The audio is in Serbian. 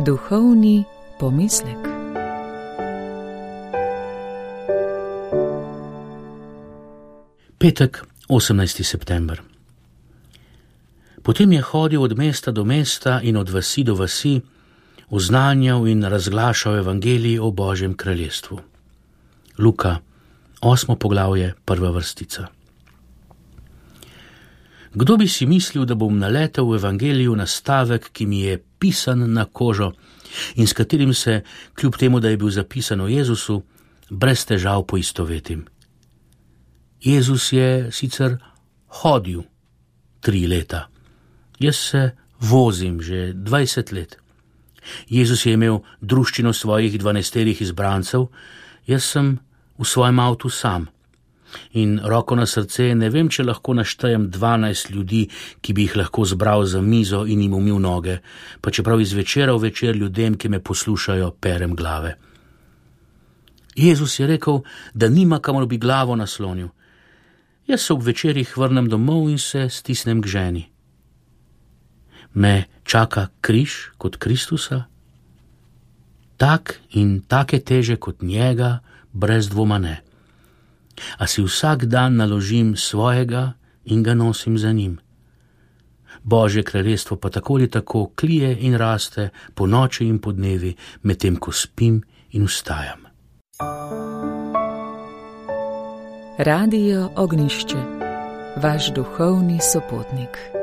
Duhovni pomislek. Petek, 18. september. Potem je hodil od mesta do mesta in od vasi do vasi, oznanjal in razglašal evangelij o Božjem kraljestvu. Luka, 8. poglavje, 1. vrstica. Kdo bi si mislil, da bom naletel v evangeliju na stavek, ki mi je pisan na kožo in s katerim se, kljub temu, da je bil zapisan o Jezusu, brez težav poistovetim. Jezus je sicer hodil 3 leta. Jaz se vozim že 20 let. Jezus je imel druščino svojih 12 izbrancev, jaz sem v svojem avtu sam. In roko na srce, ne vem, če lahko naštejem 12 ljudi, ki bi jih lahko zbral za mizo in jim umil noge, pa čeprav iz večera v večer ljudem, ki me poslušajo, perem glave. Jezus je rekel, da nima kamor bi glavo naslonil. Jaz se ob večerih vrnem domov in se stisnem k ženi. Me čaka križ kot Kristusa? Tak in take teže kot njega, brez dvoma ne. A si vsak dan naložim svojega in ga nosim za njim. Božje kraljestvo pa tako ali tako klije in raste po noči in po dnevi, medtem ko spim in vstajam. Radio Ognišče, vaš duhovni sopotnik.